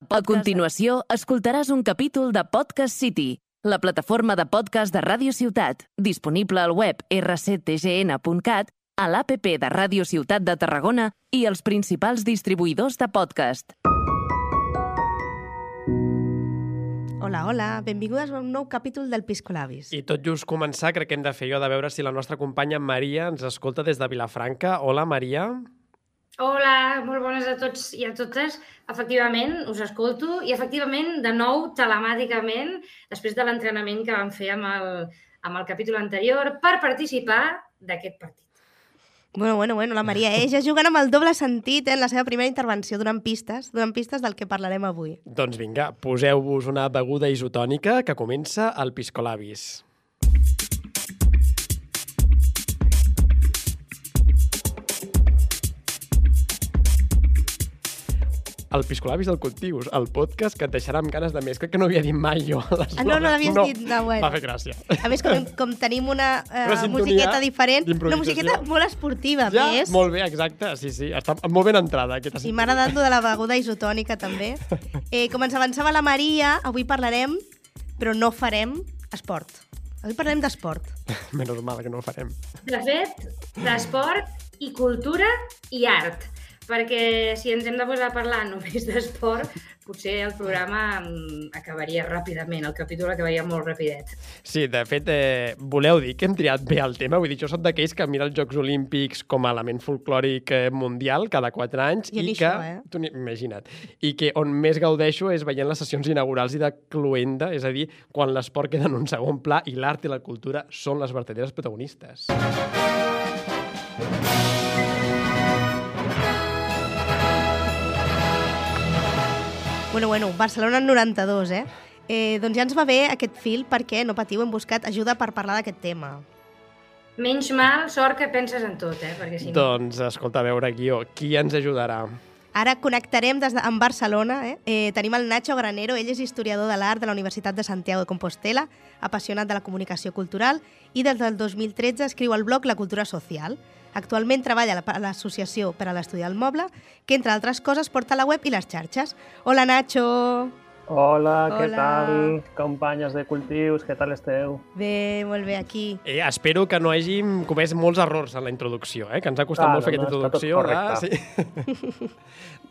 A continuació, escoltaràs un capítol de Podcast City, la plataforma de podcast de Ràdio Ciutat, disponible al web rctgn.cat, a l'APP de Ràdio Ciutat de Tarragona i els principals distribuïdors de podcast. Hola, hola, benvingudes a un nou capítol del Piscolabis. I tot just començar, crec que hem de fer jo de veure si la nostra companya Maria ens escolta des de Vilafranca. Hola, Maria. Hola, molt bones a tots i a totes. Efectivament, us escolto i efectivament, de nou, telemàticament, després de l'entrenament que vam fer amb el capítol anterior per participar d'aquest partit. Bueno, la Maria, ja jugant amb el doble sentit en la seva primera intervenció, donant pistes del que parlarem avui. Doncs vinga, poseu-vos una beguda isotònica que comença el Piscolabis. El Piscolabis del Cultius, el podcast que et deixarà amb ganes de més. Crec que no havia dit mai jo l'eslògan. No l'havies dit. No, bueno. Va fer gràcia. A més, com tenim una musiqueta diferent, una musiqueta molt esportiva, ja, més. Molt bé, exacte. Sí, està molt ben entrada. I m'ha agradat de la beguda isotònica, també. Com ens avançava la Maria, avui parlarem, però no farem, esport. Avui parlarem d'esport. Menys mal que no ho farem. De fet, d'esport i cultura i art. Perquè si ens hem de posar a parlar només d'esport, potser el programa acabaria ràpidament, el capítol acabaria molt rapidet. Sí, de fet, voleu dir que hem triat bé el tema? Vull dir, jo soc d'aquells que mira els Jocs Olímpics com a element folclòric mundial cada 4 anys i que, això, imagina't, i que on més gaudeixo és veient les sessions inaugurals i de cloenda, és a dir, quan l'esport queda en un segon pla i l'art i la cultura són les verdaderes protagonistes. Bueno, Barcelona en 92, doncs ja ens va bé aquest fil perquè, no patiu, hem buscat ajuda per parlar d'aquest tema. Menys mal, sort que penses en tot, perquè si no... Doncs, escolta, a veure, Guió, qui ens ajudarà? Ara connectarem amb Barcelona. Tenim el Nacho Granero, ell és historiador de l'art de la Universitat de Santiago de Compostela, apassionat de la comunicació cultural i des del 2013 escriu al blog La Cultura Social. Actualment treballa a l'Associació per a l'Estudi del Moble, que, entre altres coses, porta la web i les xarxes. Hola, Nacho! Hola, què tal, companyes de cultius, què tal esteu? Bé, molt bé, aquí. Espero que no hàgim comès molts errors en la introducció, que ens ha costat molt fer aquesta introducció. Sí.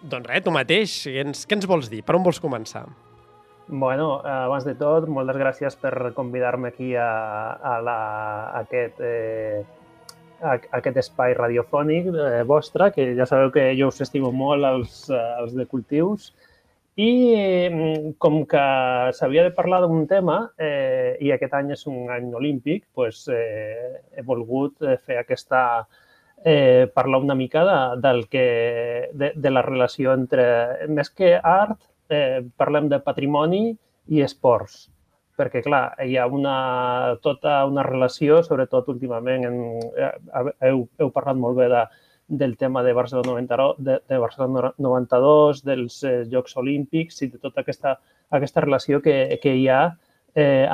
Doncs res, tu mateix, què ens vols dir? Per on vols començar? Bueno, abans de tot, moltes gràcies per convidar-me aquí a aquest espai radiofònic vostre, que ja sabeu que jo us estimo molt, els de cultius. I com que s'havia de parlar d'un tema, i aquest any és un any olímpic, doncs he volgut fer parlar una mica de la relació entre, més que art, parlem de patrimoni i esports. Perquè, clar, hi ha tota una relació, sobretot últimament, heu parlat molt bé del tema de Barcelona 92, dels Jocs Olímpics i de tota aquesta relació que hi ha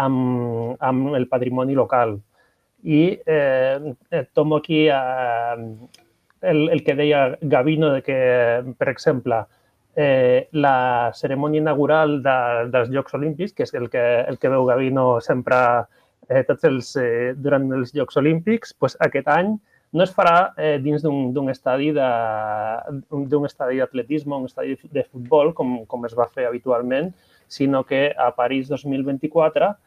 amb el patrimoni local. I tomo aquí el que deia Gavino, que, per exemple, la cerimònia inaugural dels Jocs Olímpics, que és el que veu Gavino sempre durant els Jocs Olímpics, doncs aquest any no es farà dins d'un estadi d'atletisme, un estadi de futbol, com es va fer habitualment, sinó que a París 2024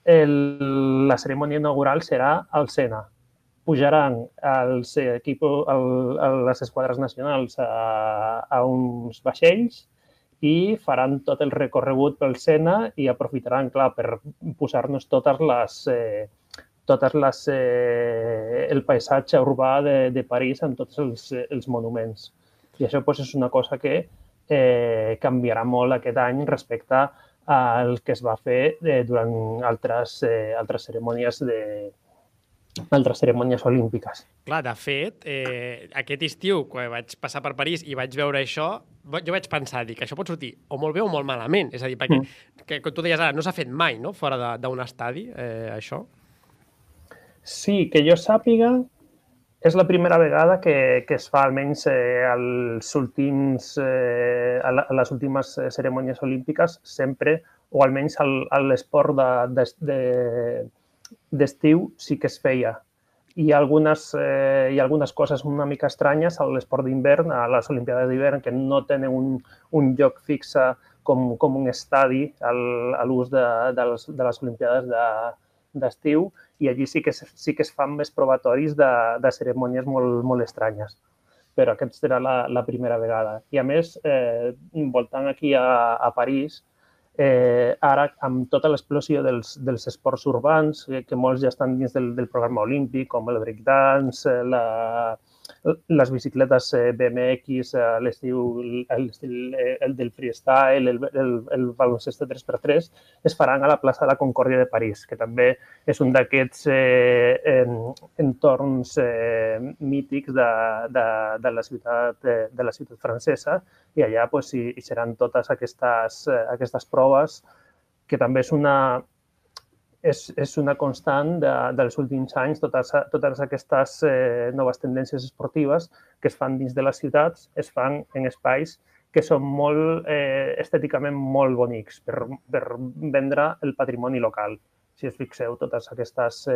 la cerimònia inaugural serà al Sena. Pujaran les esquadres nacionals a uns vaixells i faran tot el recorregut pel Sena i aprofitaran, clar, per posar-nos el paisatge urbà de París amb tots els monuments. I això és una cosa que canviarà molt aquest any respecte al que es va fer durant altres cerimònies olímpiques. Clar, de fet, aquest estiu, quan vaig passar per París i vaig veure això, jo vaig pensar, dic, això pot sortir o molt bé o molt malament. És a dir, perquè, com tu deies ara, no s'ha fet mai, no?, fora d'un estadi, això. Sí, que jo sàpiga, És la primera vegada que es fa, almenys a les últimes cerimònies olímpiques, sempre, o almenys a l'esport d'estiu sí que es feia. Hi ha algunes coses una mica estranyes a l'esport d'hivern, a les Olimpiades d'hivern, que no tenen un lloc fixe com un estadi a l'ús de les Olimpiades d'estiu, i allí sí que es fan més probatoris de cerimònies molt estranyes. Però aquesta serà la primera vegada. I a més, voltant aquí a París, ara, amb tota l'explosió dels esports urbans, que molts ja estan dins del programa olímpic, com el breakdance, les bicicletes BMX, l'estiu, el del freestyle, el baloncesto 3x3, es faran a la plaça de la Concòrdia de París, que també és un d'aquests entorns mítics de la ciutat francesa, i allà hi seran totes aquestes proves, que també és una constant dels últims anys. Totes aquestes noves tendències esportives que es fan dins de les ciutats es fan en espais que són estèticament molt bonics per vendre el patrimoni local. Si us fixeu, totes aquestes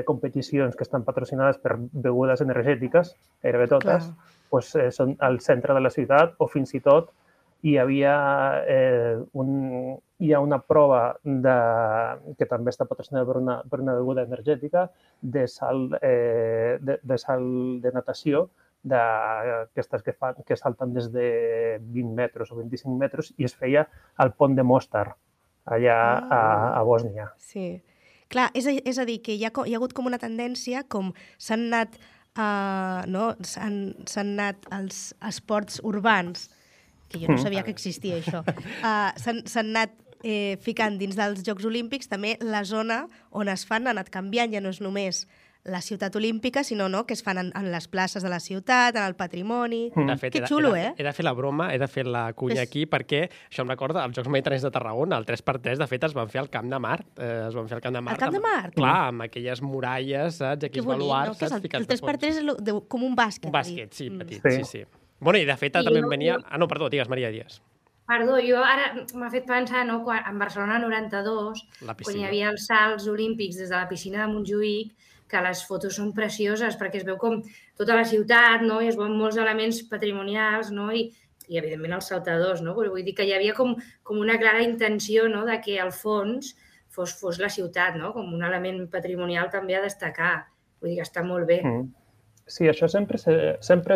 competicions que estan patrocinades per begudes energètiques, gairebé totes, són al centre de la ciutat, o fins i tot hi ha una prova que també està patrocinada per una beguda energètica de salt de natació, d'aquestes que salten des de 20 metres o 25 metres, i es feia al pont de Mostar, allà a Bòsnia. Sí. Clar, és a dir, que hi ha hagut com una tendència, com s'han anat els esports urbans, que jo no sabia que existia això, s'han anat ficant dins dels Jocs Olímpics. També la zona on es fan ha anat canviant, ja no és només la ciutat olímpica, sinó que es fan en les places de la ciutat, en el patrimoni. Que xulo, eh? He de fer la broma, he de fer la cunya aquí, perquè això em recorda els Jocs Mediterranis de Tarragona, el 3x3, de fet, es van fer al Camp de Mart. Es van fer al Camp de Mart. Al Camp de Mart? Clar, amb aquelles muralles, saps? Aquells baluards, saps? El 3x3 és com un bàsquet. Un bàsquet, sí, petit, sí. Bueno, i de fet també em venia... no, perdó, digues, Maria, digues. Perdó, jo ara m'ha fet pensar, en Barcelona 92, quan hi havia els salts olímpics des de la piscina de Montjuïc, que les fotos són precioses perquè es veu com tota la ciutat, i es veuen molts elements patrimonials, i evidentment els saltadors, però vull dir que hi havia com una clara intenció de que al fons fos la ciutat, com un element patrimonial també a destacar. Vull dir que està molt bé. Sí, això sempre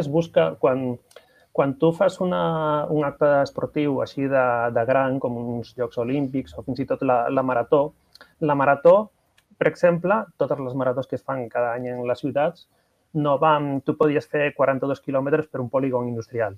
es busca quan tu fas un acte esportiu així de gran, com uns Jocs Olímpics o fins i tot la marató. La marató, per exemple, totes les maratons que es fan cada any en les ciutats, tu podies fer 42 quilòmetres per un polígon industrial.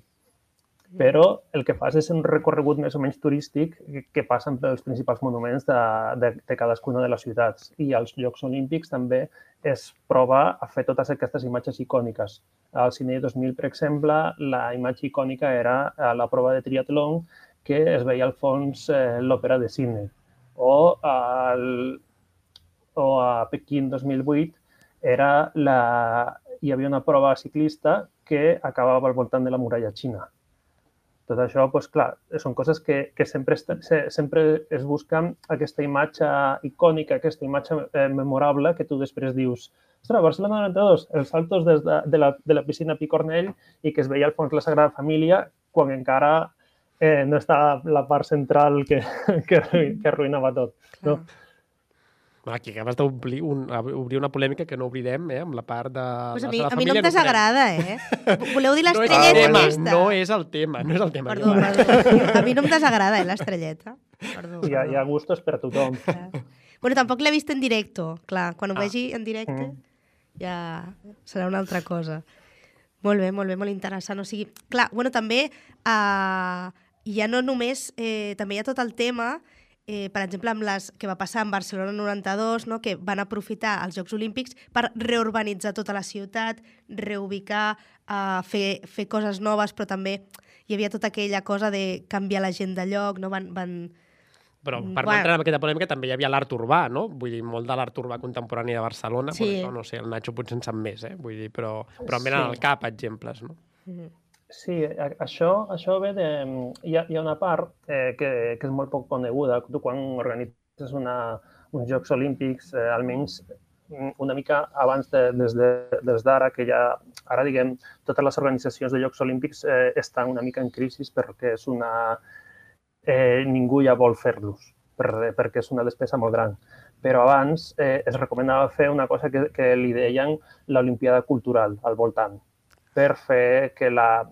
Però el que fas és un recorregut més o menys turístic que passa pels principals monuments de cadascuna de les ciutats. I als Jocs Olímpics també es prova a fer totes aquestes imatges icòniques. Al Sydney 2000, per exemple, la imatge icònica era la prova de triatlon, que es veia al fons l'òpera de Sydney. O a Pequín 2008 hi havia una prova ciclista que acabava al voltant de la muralla xina. Tot això, clar, són coses que sempre es busquen aquesta imatge icònica, aquesta imatge memorable que tu després dius: ostres, Barcelona 92, els saltos de la piscina Picornell, i que es veia al fons la Sagrada Família quan encara no estava la part central que arruïnava tot. Aquí acabes d'obrir una polèmica que no obrirem, amb la part de la Sagrada Família. A mi no em desagrada, Voleu dir l'estrelleta aquesta? No és el tema. Perdó. A mi no em desagrada, l'estrelleta. Hi ha gustos per a tothom. Bueno, tampoc l'he vist en directe. Clar, quan ho vegi en directe ja serà una altra cosa. Molt bé, molt interessant. O sigui, clar, també ja no només... També hi ha tot el tema... per exemple, amb les que va passar en Barcelona 92, que van aprofitar els Jocs Olímpics per reurbanitzar tota la ciutat, reubicar, fer coses noves, però també hi havia tota aquella cosa de canviar la gent de lloc, van Però per no entrar en aquesta polèmica també hi havia l'art urbà, no? Vull dir, molt de l'art urbà contemporani de Barcelona, Sí. per això, no sé, el Nacho potser en sap més, Vull dir, però em venen al cap exemples, no? Sí, això ve de... Hi ha una part que és molt poc coneguda. Tu quan organitzes uns Jocs Olímpics, almenys una mica abans des d'ara, que ja, ara diguem, totes les organitzacions de Jocs Olímpics estan una mica en crisi perquè és ningú ja vol fer-los, perquè és una despesa molt gran. Però abans es recomanava fer una cosa que li deien l'Olimpiada Cultural al voltant, per fer que la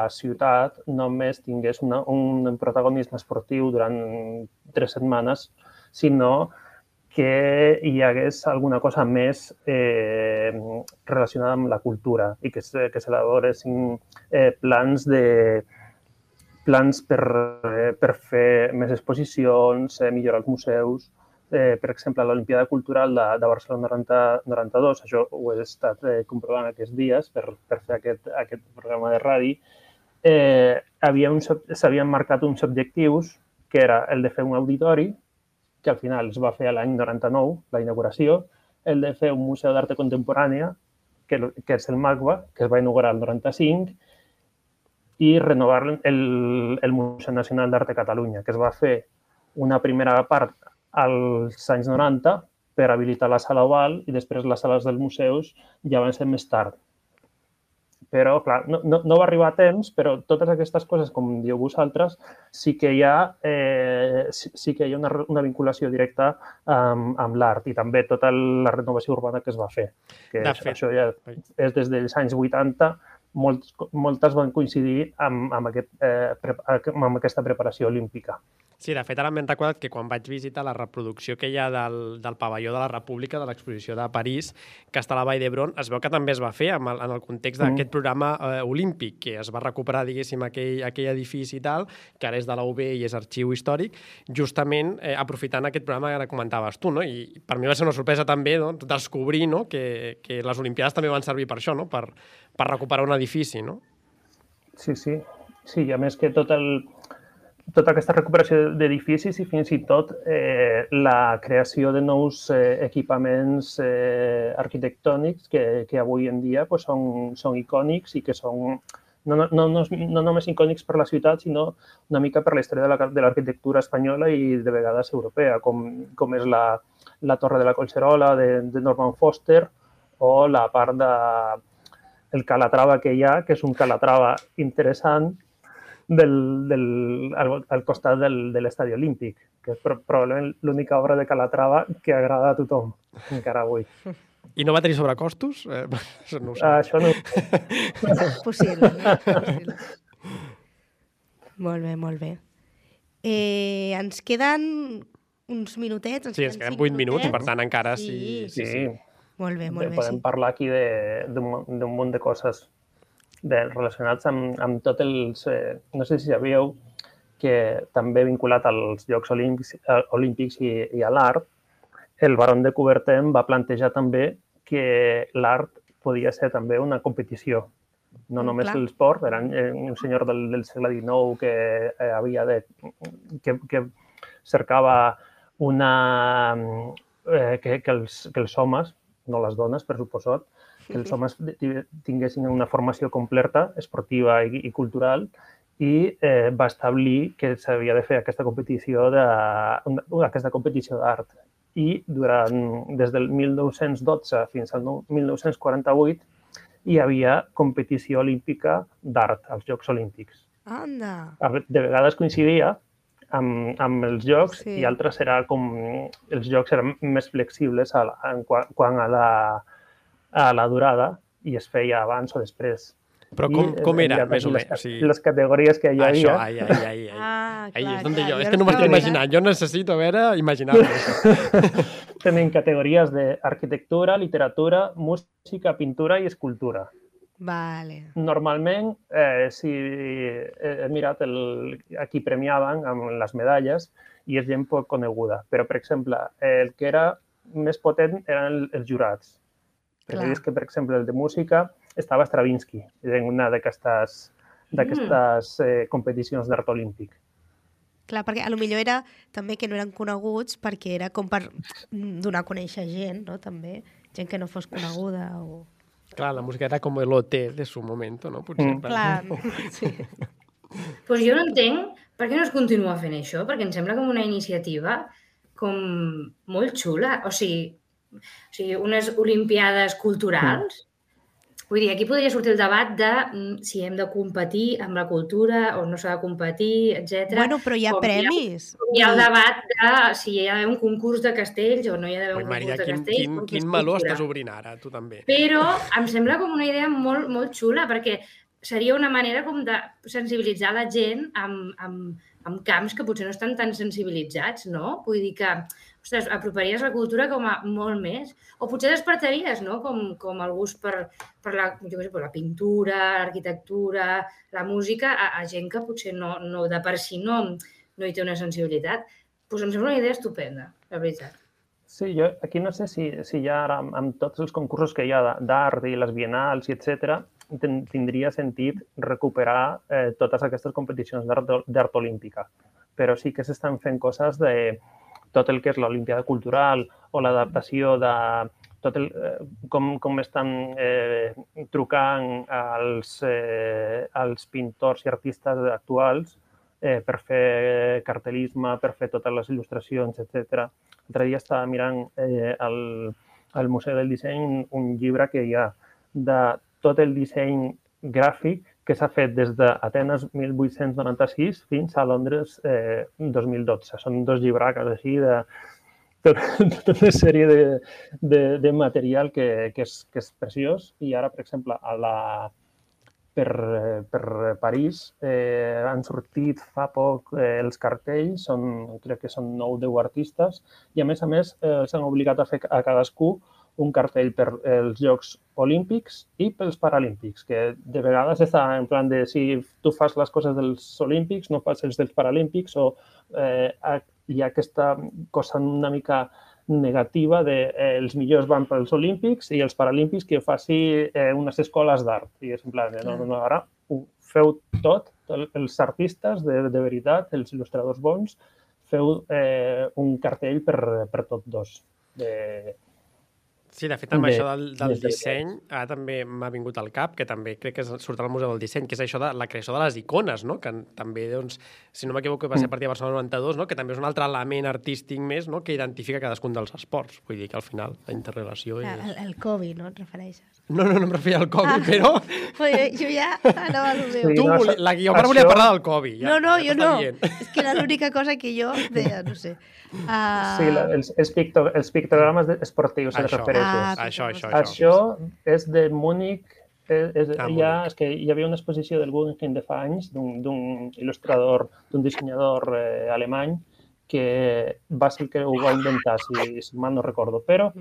ciutat només tingués un protagonisme esportiu durant 3 setmanes, sinó que hi hagués alguna cosa més relacionada amb la cultura i que s'elaboressin plans per fer més exposicions, millorar els museus. Per exemple, a l'Olimpiada Cultural de Barcelona 92, això ho he estat comprovant aquests dies per fer aquest programa de ràdio, s'havien marcat uns objectius, que era el de fer un auditori, que al final es va fer l'any 99, la inauguració, el de fer un museu d'art contemporània, que és el MACBA, que es va inaugurar el 95, i renovar el Museu Nacional d'Art de Catalunya, que es va fer una primera part als anys 90 per habilitar la sala oval i després les sales dels museus ja van ser més tard. Però, clar, no va arribar a temps, però totes aquestes coses, com dieu vosaltres, sí que hi ha una vinculació directa amb l'art i també tota la renovació urbana que es va fer. Que això ja és des dels anys 80, moltes van coincidir amb aquesta preparació olímpica. Sí, de fet, ara m'he recordat que quan vaig visitar la reproducció que hi ha del pavelló de la República, de l'exposició de París, que està a la Vall d'Hebron, es veu que també es va fer en el context d'aquest programa olímpic, que es va recuperar, diguéssim, aquell edifici i tal, que ara és de la UB i és arxiu històric, justament aprofitant aquest programa que ara comentaves tu, no? I per mi va ser una sorpresa també, no? Descobrir, no? que les Olimpiades també van servir per això, no? Per recuperar un edifici, no? Sí, i a més que tota aquesta recuperació d'edificis i fins i tot la creació de nous equipaments arquitectònics que avui en dia són icònics i que són no només icònics per la ciutat, sinó una mica per la història de l'arquitectura espanyola i de vegades europea, com és la Torre de la Collserola de Norman Foster o la part del Calatrava que hi ha, que és un Calatrava interessant, al costat de l'Estadi Olímpic, que és probablement l'única obra de Calatrava que agrada a tothom, encara avui. I no va tenir sobrecostos? No ho sé. Això no. Possible. Molt bé. Ens queden uns minutets. Sí, ens queden 8 minuts, per tant encara sí. Molt bé. Podem parlar aquí d'un munt de coses relacionats amb tots els... No sé si sabíeu que també vinculat als Jocs Olímpics i a l'art, el Baron de Coubertin va plantejar també que l'art podia ser també una competició. No només l'esport, era un senyor del segle XIX que cercava que els homes, no les dones, per suposat, que els homes tinguessin una formació completa, esportiva i cultural, i va establir que s'havia de fer aquesta competició d'art. I des del 1912 fins al 1948 hi havia competició olímpica d'art als Jocs Olímpics. Anda! De vegades coincidia amb els jocs i altres era com... Els jocs eren més flexibles quant a la durada i es feia abans o després. Però com era, més o menys? Les categories que hi havia... Ahí és on jo... És que no m'estic imaginant. Jo necessito, imaginar-me això. Tenen categories d'arquitectura, literatura, música, pintura i escultura. Vale. Normalment, si he mirat a qui premiaven amb les medalles i és gent poc coneguda. Però, per exemple, el que era més potent eren els jurats. Perquè és que, per exemple, el de música estava Stravinsky en una d'aquestes competicions d'art olímpic. Clar, perquè a lo millor era també que no eren coneguts perquè era com per donar a conèixer gent, no? També, gent que no fos coneguda o... Clar, la música era com el OT de su momento, no? Potser. Clar, sí. Pues jo no entenc per què no es continua fent això, perquè em sembla com una iniciativa com molt xula. O sigui unes olimpiades culturals. Vull dir, aquí podria sortir el debat de si hem de competir amb la cultura o no s'ha de competir, etc. Bueno, però hi ha premis. Hi ha el debat de si hi ha d'haver un concurs de castells o no hi ha d'haver un Maria, concurs de castells. Quin meló estàs obrint ara, tu també. Però em sembla com una idea molt, molt xula, perquè seria una manera com de sensibilitzar la gent amb camps que potser no estan tan sensibilitzats, no? Vull dir que, ostres, aproparies la cultura com a molt més. O potser despertaries, no?, com el gust per la, jo què sé, per la pintura, l'arquitectura, la música, a gent que potser no de per si no hi té una sensibilitat. Doncs em sembla una idea estupenda, la veritat. Sí, jo aquí no sé si ja ara amb tots els concursos que hi ha d'art i les bienals i etc., tindria sentit recuperar totes aquestes competicions d'art olímpica. Però sí que s'estan fent coses de tot el que és l'Olimpiada Cultural o l'adaptació de tot com estan trucant als pintors i artistes actuals per fer cartel·lisme, per fer totes les il·lustracions, etc. L'altre dia estava mirant al Museu del Disseny un llibre que hi ha de tot el disseny gràfic que s'ha fet des d'Atenes 1896 fins a Londres 2012. Són 2 llibracos així de tota una sèrie de material que és preciós. I ara, per exemple, per París han sortit fa poc els cartells, crec que són 9 o 10 artistes, i a més s'han obligat a fer a cadascú un cartell per els Jocs Olímpics i pels Paralímpics, que de vegades està en plan de si tu fas les coses dels Olímpics, no fas els dels Paralímpics, o hi ha aquesta cosa una mica negativa de els millors van pels Olímpics i els Paralímpics que faci unes escoles d'art. I és en plan, no, ara ho feu tot, els artistes de veritat, els il·lustradors bons, feu un cartell per tots dos. Sí, de fet, amb això del disseny, ara també m'ha vingut al cap, que també crec que surt al Museu del Disseny, que és això de la creació de les icones, no? Que també, doncs, si no m'equivoco, va ser a partir de Barcelona 92, no? Que també és un altre element artístic més, no? Que identifica cadascun dels esports. Vull dir que al final la interrelació és... El Covid, no et refereixes? No em referia al Covid, però... Jo ja anava al meu. La Guiomar volia parlar del Covid. No, jo no. És que era l'única cosa que jo deia, no sé. Sí, els pictogrames esportius se refereixen. Això és de Múnich. És que hi havia una exposició del Guggenheim de fa anys d'un il·lustrador, d'un dissenyador alemany que va ser el que ho va inventar, si mal no recordo. Però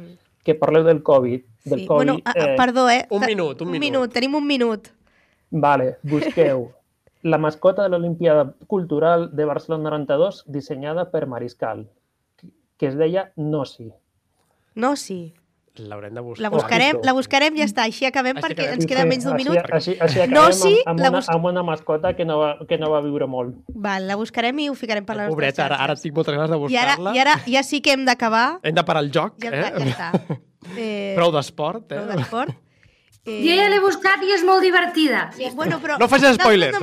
que parleu del Covid. Bueno, perdó, Un minut. Tenim un minut. Vale, busqueu la mascota de l'Olimpiada Cultural de Barcelona 92 dissenyada per Mariscal, que es deia Nossi. Nossi. L'haurem de buscar. La buscarem i ja està. Així acabem perquè ens queda menys d'un minut. Així acabem amb una mascota que no va viure molt. Val, la buscarem i ho ficarem per les nostres xarxes. Ara tinc moltes ganes de buscar-la. I ara ja sí que hem d'acabar. Hem de parar el joc. Ja està. Prou d'esport. Prou d'esport. Jo ja l'he buscat i és molt divertida. Bueno, però no facis spoilers.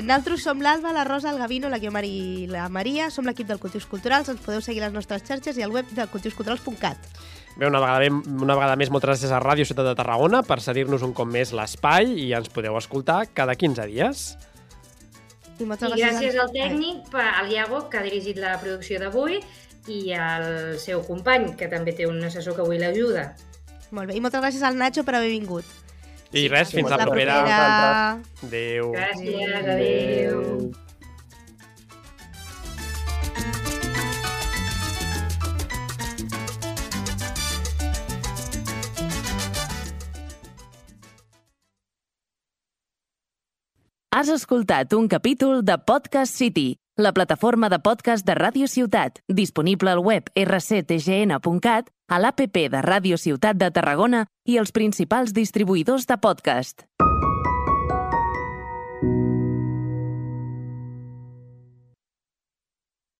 Nosaltres som l'Alba, la Rosa, el Gavino, la Guiomar i la Maria. Som l'equip del Cultius Culturals. Ens podeu seguir a les nostres xarxes i al web de cultiusculturals.cat. Bé, una vegada més, moltes gràcies a Ràdio Ciutat de Tarragona per cedir-nos un cop més l'espai i ens podeu escoltar cada 15 dies. I gràcies al tècnic, al Iago, que ha dirigit la producció d'avui, i al seu company, que també té un assessor que avui l'ajuda. Molt bé, i moltes gràcies al Nacho per haver vingut. I res, fins la propera. Adéu. Gràcies, adéu. Has escoltat un capítol de Podcast City, la plataforma de podcast de Ràdio Ciutat, disponible al web rctgn.cat, a l'APP de Ràdio Ciutat de Tarragona i els principals distribuïdors de podcast.